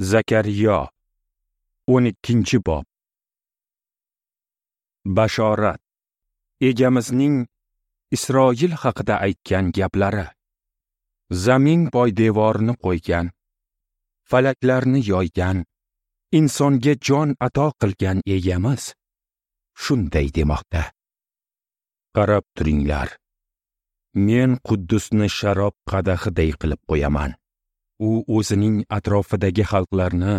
Zakariyo 12-bob. Bashorat. Egamizning Isroil haqida aytgan gaplari. Zamin poydevorini qo'ygan, falaklarni yoygan, insonga jon ato qilgan egamiz shunday demoqda: Qarab turinglar. Men Quddusni sharob qadahiday qilib qo'yaman. U o'zining atrofidagi xalqlarni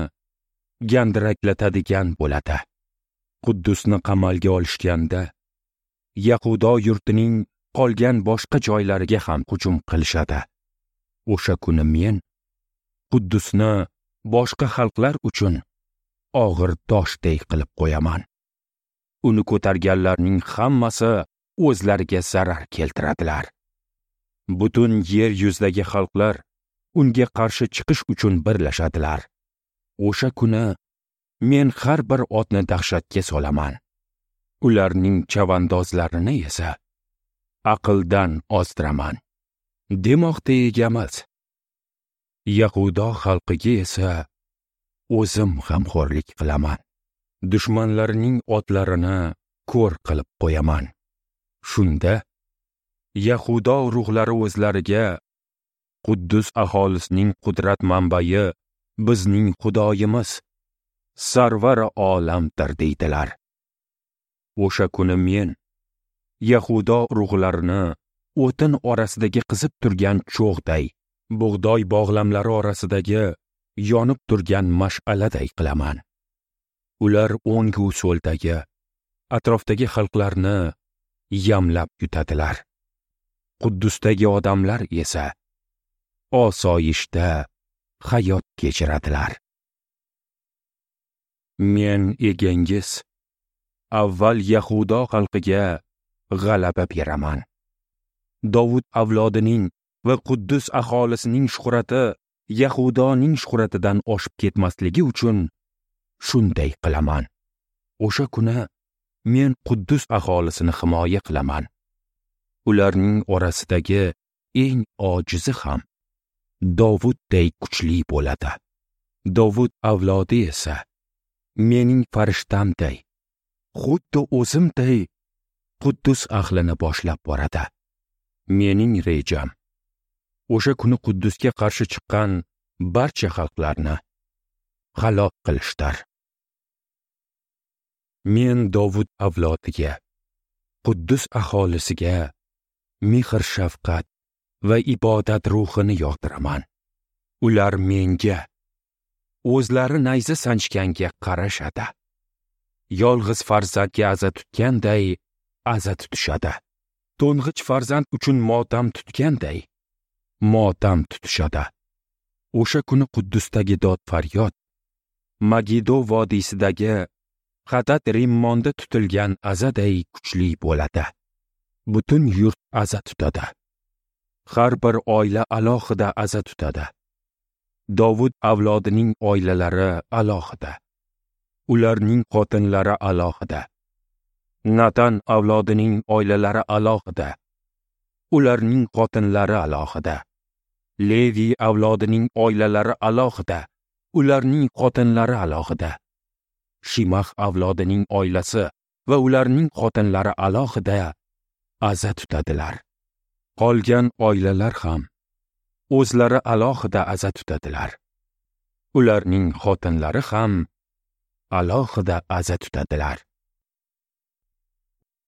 gandiraklatadigan bo'ladi. Quddusni qamalga olishganda Yahudo yurtining qolgan boshqa joylariga ham hujum qilishadi. O'sha kuni men Quddusni boshqa xalqlar uchun og'ir toshday qilib qo'yaman. Uni ko'targanlarning hammasi o'zlariga zarar keltiradilar. Butun yer yuzidagi xalqlar unga qarshi chiqish uchun birlashadilar. O'sha kuni men har bir otni dahshatga solaman. Ularning chavandozlarini esa aqldan ozdiraman, demoqda egamiz. Yahudo xalqiga esa o'zim g'amxo'rlik qilaman. Dushmanlarining otlarini ko'r qilib qo'yaman. Shunda Yahudo ruhlari o'zlariga Quddus aholisining qudrat manbai bizning Xudoyimiz, Sarvar olamdir deydilar. O'sha kuni men Yahudo ruhlarini o'tin orasidagi qizib turgan cho'g'day, bug'doy bog'lamlari orasidagi yonib turgan mash'aladay qilaman. Ular o'ng-u so'ldagi, atrofdagi xalqlarni yamlab yutadilar. Quddusdagi odamlar esa osoyishta hayot kechiradilar. Men egangiz avval Yahudo xalqiga g'alaba beraman. Dovud avlodining va Quddus aholisining shuhrati Yahudoning shuhratidan oshib ketmasligi uchun shunday qilaman. O'sha kuni men Quddus aholisini himoya qilaman. Ularning orasidagi eng ojizi ham Dovudday kuchli bo'ladi. Dovud avlodi esa mening farishtamday, xuddi o'zimday Quddus ahlini boshlab boradi. Mening rejam o'sha kuni Quddusga qarshi chiqqan barcha xalqlarni halok qilishdir. Men Dovud avlodiga, Quddus aholisiga mehr shafqat va ibodat ruhini yog'diraman. Ular menga, o'zlari nayza sanchganga qarashadi. Yolg'iz farzandga aza tutganday aza tutishadi. To'ng'ich farzand uchun motam tutganday motam tutishadi. O'sha kuni Quddusdagi dod faryod Magido vodiysidagi Hadad Rimmonda tutilgan azaday kuchli bo'ladi. Butun yurt aza tutadi. Har bir oila alohida aza tutadi. Dovud avlodining oilalari alohida, ularning xotinlari alohida. Natan avlodining oilalari alohida, ularning xotinlari alohida. Levi avlodining oilalari alohida, ularning xotinlari alohida. Shimah avlodining oilasi va ularning xotinlari alohida aza tutadilar. Qolgan oilalar ham o'zlari alohida aza tutadilar. Ularning xotinlari ham alohida aza tutadilar.